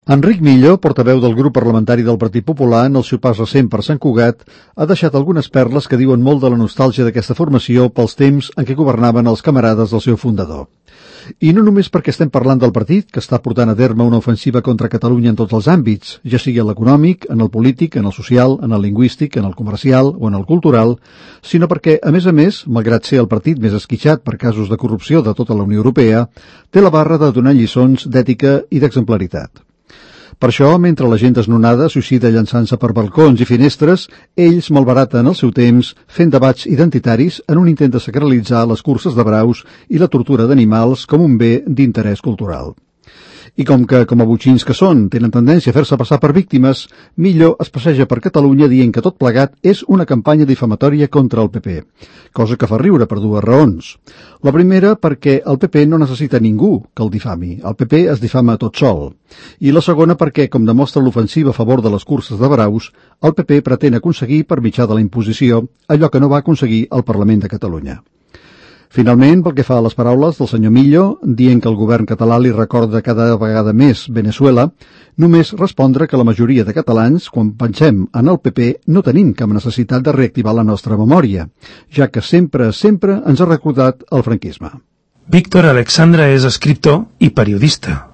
Enric Millo, portaveu del grup parlamentari del Partit Popular, en el seu pas recent per Sant Cugat, ha deixat algunes perles que diuen molt de la nostàlgia d'aquesta formació pels temps en què governaven els camarades del seu fundador. I no només perquè estem parlant del partit, que està portant a terme una ofensiva contra Catalunya en tots els àmbits, ja sigui en l'econòmic, en el polític, en el social, en el lingüístic, en el comercial o en el cultural, sinó perquè, a més, malgrat ser el partit més esquitxat per casos de corrupció de tota la Unió Europea, té la barra de donar lliçons d'ètica i d'exemplaritat. Per això, mentre la gent desnonada suïcida llançant-se per balcons i finestres, ells malbaraten el seu temps fent debats identitaris en un intent de sacralitzar les curses de braus i la tortura d'animals com un bé d'interès cultural. I com a botxins que són, tenen tendència a fer-se passar per víctimes, Millo es passeja per Catalunya dient que tot plegat és una campanya difamatòria contra el PP, cosa que fa riure per dues raons. La primera, perquè el PP no necessita ningú que el difami, el PP es difama tot sol. I la segona, perquè, com demostra l'ofensiva a favor de les curses de braus, el PP pretén aconseguir, per mitjà de la imposició, allò que no va aconseguir el Parlament de Catalunya. Finalment, pel que fa a les paraules del senyor Millo, dient que el govern català li recorda cada vegada més Venezuela, només respondre que la majoria de catalans, quan pensem en el PP, no tenim cap necessitat de reactivar la nostra memòria, ja que sempre ens ha recordat el franquisme. Víctor Alexandra és escriptor i periodista.